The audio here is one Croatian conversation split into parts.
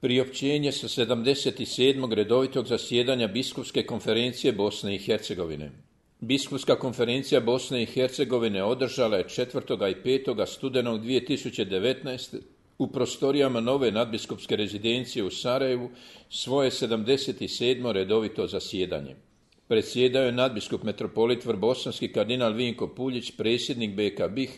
Priopćenje sa 77. redovitog zasjedanja Biskupske konferencije Bosne i Hercegovine. Biskupska konferencija Bosne i Hercegovine održala je 4. i 5. studenog 2019. u prostorijama nove nadbiskupske rezidencije u Sarajevu svoje 77. redovito zasjedanje. Predsjedao je nadbiskup metropolit Vrbosanski kardinal Vinko Puljić, predsjednik BK BiH,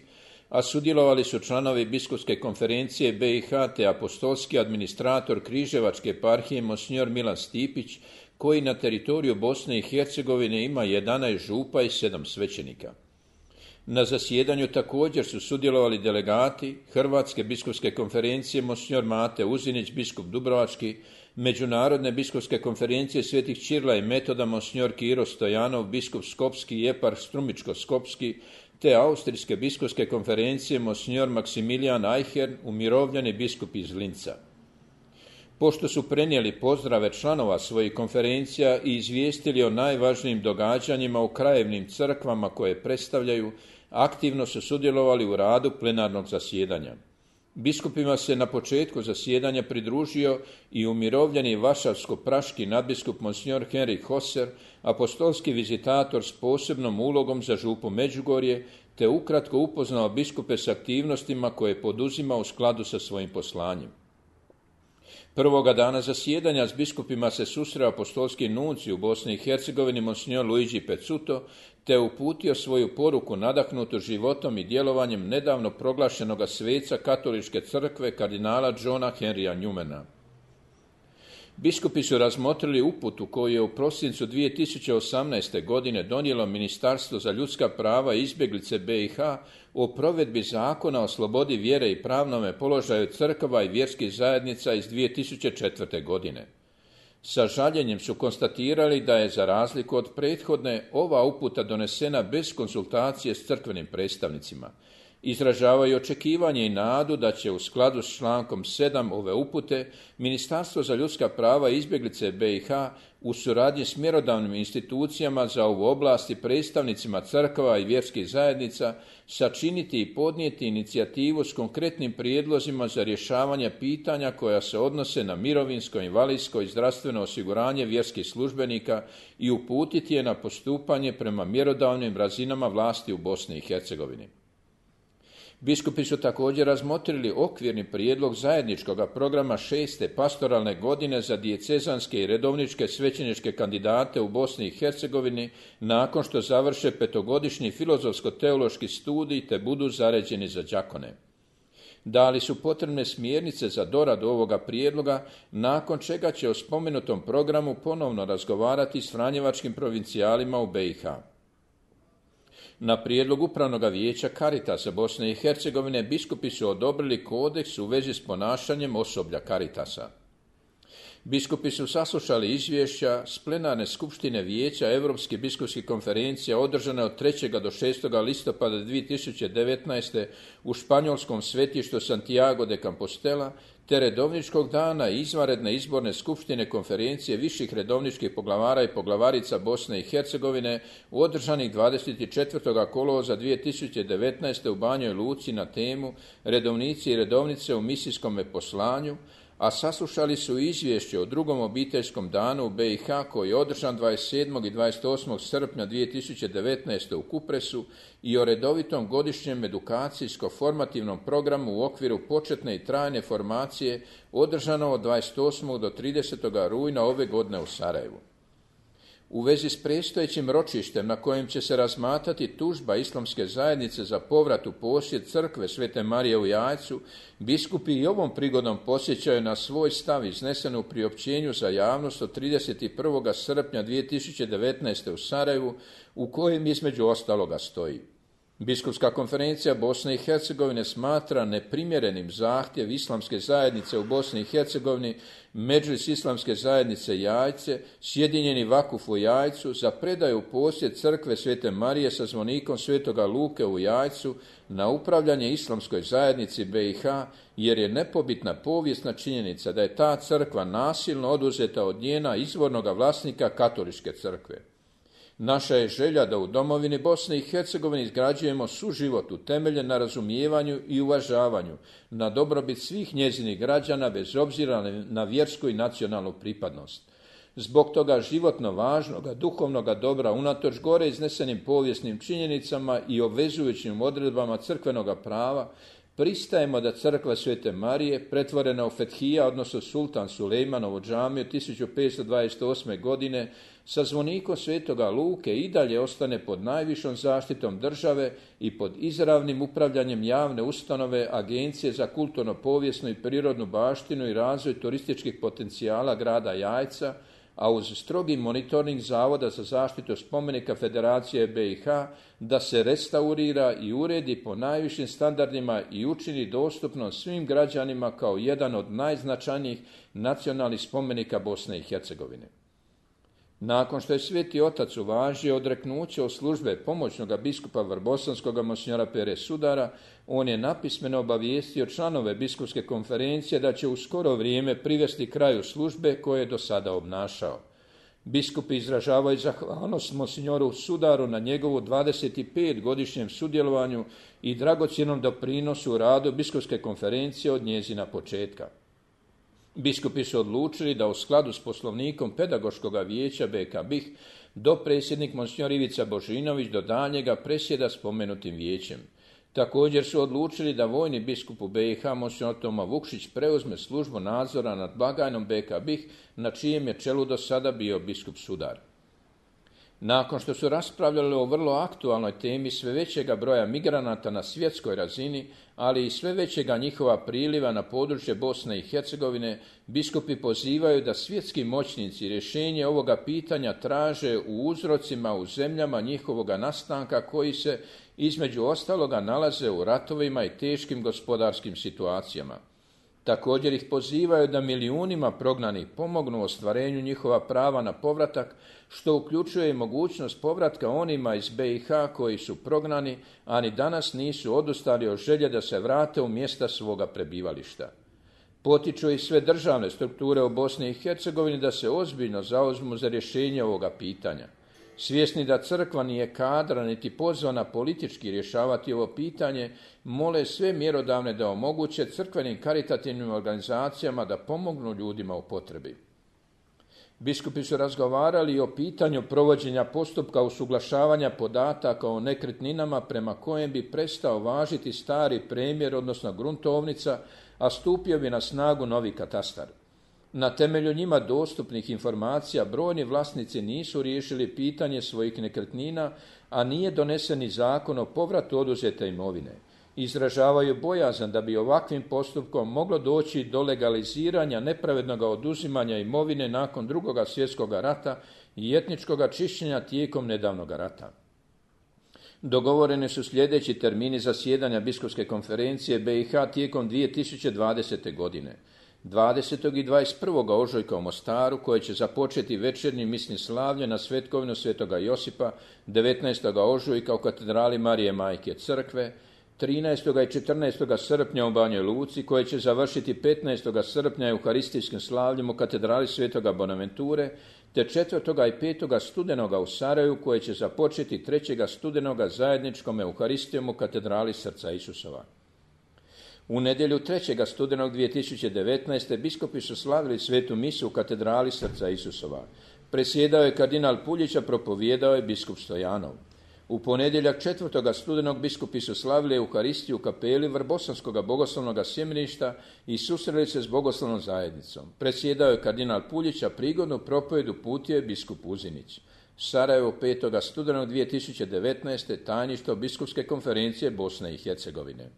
a sudjelovali su članovi Biskupske konferencije BiH te apostolski administrator Križevačke eparhije Monsignor Milan Stipić, koji na teritoriju Bosne i Hercegovine ima 11 župa i 7 svećenika. Na zasjedanju također su sudjelovali delegati Hrvatske biskupske konferencije Monsignor Mate Uzinić, biskup Dubrovački, Međunarodne biskupske konferencije Svetih Ćirila i Metoda Monsignor Kiro Stojanov, biskup Skopski i eparh Strumičko-Skopski, te Austrijske biskupske konferencije Monsignor Maksimilijan Ajhern, umirovljeni biskup iz Linca. Pošto su prenijeli pozdrave članova svojih konferencija i izvijestili o najvažnijim događanjima u krajevnim crkvama koje predstavljaju, aktivno su sudjelovali u radu plenarnog zasjedanja. Biskupima se na početku zasjedanja pridružio i umirovljeni varšavsko-praški nadbiskup Monsignor Henrik Hoser, apostolski vizitator s posebnom ulogom za župu Međugorje, te ukratko upoznao biskupe s aktivnostima koje poduzima u skladu sa svojim poslanjem. Prvoga dana zasjedanja s biskupima se susreo apostolski nuncij u Bosni i Hercegovini Monsignor Luigi Pezzuto, te uputio svoju poruku nadahnutu životom i djelovanjem nedavno proglašenoga sveca Katoličke crkve kardinala Johna Henrya Newmana. Biskupi su razmotrili uputu koju je u prosincu 2018. godine donijelo Ministarstvo za ljudska prava i izbjeglice BiH o provedbi zakona o slobodi vjere i pravnome položaju crkava i vjerskih zajednica iz 2004. godine. Sa žaljenjem su konstatirali da je, za razliku od prethodne, ova uputa donesena bez konsultacije s crkvenim predstavnicima. Izražavaju očekivanje i nadu da će u skladu s člankom 7 ove upute Ministarstvo za ljudska prava i izbjeglice BiH u suradnji s mjerodavnim institucijama za ovu oblast i predstavnicima crkava i vjerskih zajednica sačiniti i podnijeti inicijativu s konkretnim prijedlozima za rješavanje pitanja koja se odnose na mirovinsko, invalidsko i zdravstveno osiguranje vjerskih službenika i uputiti je na postupanje prema mjerodavnim razinama vlasti u Bosni i Hercegovini. Biskupi su također razmotrili okvirni prijedlog zajedničkog programa 6. pastoralne godine za dijecezanske i redovničke svećeničke kandidate u Bosni i Hercegovini nakon što završe 5-godišnji filozofsko-teološki studij te budu zaređeni za đakone. Dali su potrebne smjernice za doradu ovoga prijedloga, nakon čega će o spomenutom programu ponovno razgovarati s franjevačkim provincijalima u BiH. Na prijedlog Upravnog vijeća Caritasa Bosne i Hercegovine biskupi su odobrili kodeks u vezi s ponašanjem osoblja Caritasa. Biskupi su saslušali izvješća s plenarne skupštine Vijeća Europske biskupske konferencije održane od 3. do 6. listopada 2019. u španjolskom svetištu Santiago de Compostela, te redovničkog dana i izvanredne izborne skupštine konferencije viših redovničkih poglavara i poglavarica Bosne i Hercegovine održanih 24. kolovoza 2019. u Banjoj Luci na temu Redovnici i redovnice u misijskom poslanju, a saslušali su izvješće o drugom obiteljskom danu u BiH koji je održan 27. i 28. srpnja 2019. u Kupresu i o redovitom godišnjem edukacijsko-formativnom programu u okviru početne i trajne formacije održano od 28. do 30. rujna ove godine u Sarajevu. U vezi s predstojećim ročištem na kojem će se razmatrati tužba Islamske zajednice za povrat u posjed crkve Svete Marije u Jajcu, biskupi i ovom prigodom podsjećaju na svoj stav iznesen u priopćenju za javnost od 31. srpnja 2019. u Sarajevu, u kojem između ostaloga stoji: Biskupska konferencija Bosne i Hercegovine smatra neprimjerenim zahtjev Islamske zajednice u Bosni i Hercegovini, Medžlis Islamske zajednice Jajce, Sjedinjeni Vakuf u Jajcu, za predaju u posjed crkve Svete Marije sa zvonikom Svetoga Luke u Jajcu na upravljanje Islamskoj zajednici BiH, jer je nepobitna povijesna činjenica da je ta crkva nasilno oduzeta od njena izvornoga vlasnika Katoličke crkve. Naša je želja da u domovini Bosne i Hercegovine izgrađujemo suživot utemeljen na razumijevanju i uvažavanju, na dobrobit svih njezinih građana bez obzira na vjersku i nacionalnu pripadnost. Zbog toga životno važnoga, duhovnoga dobra, unatoč gore iznesenim povijesnim činjenicama i obvezujućim odredbama crkvenoga prava, pristajemo da crkva Svete Marije, pretvorena u Fethija, odnosno sultan Sulejmanovu džamiju 1528. godine, sa zvonikom Svetoga Luke i dalje ostane pod najvišom zaštitom države i pod izravnim upravljanjem javne ustanove Agencije za kulturno-povijesnu i prirodnu baštinu i razvoj turističkih potencijala grada Jajca, a uz strogi monitoring Zavoda za zaštitu spomenika Federacije BiH da se restaurira i uredi po najvišim standardima i učini dostupno svim građanima kao jedan od najznačajnijih nacionalnih spomenika Bosne i Hercegovine. Nakon što je Sveti Otac uvažio odreknuće od službe pomoćnoga biskupa Vrbosanskoga monsinjora Pere Sudara, on je napismeno obavijestio članove biskupske konferencije da će u skoro vrijeme privesti kraju službe koje je do sada obnašao. Biskupi izražavaju zahvalnost monsinjoru Sudaru na njegovu 25-godišnjem sudjelovanju i dragocjenom doprinosu u radu biskupske konferencije od njezina početka. Biskupi su odlučili da u skladu s poslovnikom Pedagoškog vijeća BK BiH dopredsjednik monsinjor Ivica Božinović do daljnjega presjeda spomenutim vijećem. Također su odlučili da vojni biskup u BiH monsinjor Toma Vukšić preuzme službu nadzora nad blagajnom BK BiH na čijem je čelu do sada bio biskup Sudar. Nakon što su raspravljali o vrlo aktualnoj temi sve većega broja migranata na svjetskoj razini, ali i sve većega njihova priliva na područje Bosne i Hercegovine, biskupi pozivaju da svjetski moćnici rješenje ovoga pitanja traže u uzrocima u zemljama njihovoga nastanka koji se između ostaloga nalaze u ratovima i teškim gospodarskim situacijama. Također ih pozivaju da milijunima prognanih pomognu ostvarenju njihova prava na povratak, što uključuje i mogućnost povratka onima iz BiH koji su prognani, a ni danas nisu odustali od želje da se vrate u mjesta svoga prebivališta. Potiču i sve državne strukture u Bosni i Hercegovini da se ozbiljno zauzmu za rješenje ovoga pitanja. Svjesni da crkva nije kadra niti pozvana politički rješavati ovo pitanje, mole sve mjerodavne da omoguće crkvenim karitativnim organizacijama da pomognu ljudima u potrebi. Biskupi su razgovarali i o pitanju provođenja postupka usuglašavanja podataka o nekretninama prema kojem bi prestao važiti stari premjer, odnosno gruntovnica, a stupio bi na snagu novi katastar. Na temelju njima dostupnih informacija brojni vlasnici nisu riješili pitanje svojih nekretnina, a nije donesen ni zakon o povratu oduzete imovine. Izražavaju bojazan da bi ovakvim postupkom moglo doći do legaliziranja nepravednog oduzimanja imovine nakon II. Svjetskog rata i etničkog čišćenja tijekom nedavnog rata. Dogovoreni su sljedeći termini zasjedanja biskupske konferencije BiH tijekom 2020. godine. 20. i 21. ožujka u Mostaru, koje će započeti večernjim misnim slavljem na svetkovinu Svetoga Josipa, 19. ožujka u katedrali Marije Majke Crkve, 13. i 14. srpnja u Banjoj Luci, koje će završiti 15. srpnja euharistijskim slavljem u katedrali Svetoga Bonaventure, te 4. i 5. studenoga u Sarajevu, koje će započeti 3. studenoga zajedničkom euharistijom u katedrali Srca Isusova. U nedjelju 3. studenog 2019. biskupi su slavili svetu misu u katedrali Srca Isusova. Presjedao je kardinal Puljić, a propovijedao je biskup Stojanov. U ponedjeljak 4. studenog biskupi su slavili euharistiju u kapeli Vrbosanskog bogoslovnog sjemeništa i susreli se s bogoslovnom zajednicom. Presjedao je kardinal Puljić, a prigodnu propovjed uputio je biskup Uzinić. Sarajevo 5. studenog 2019. tajništvo biskupske konferencije Bosne i Hercegovine.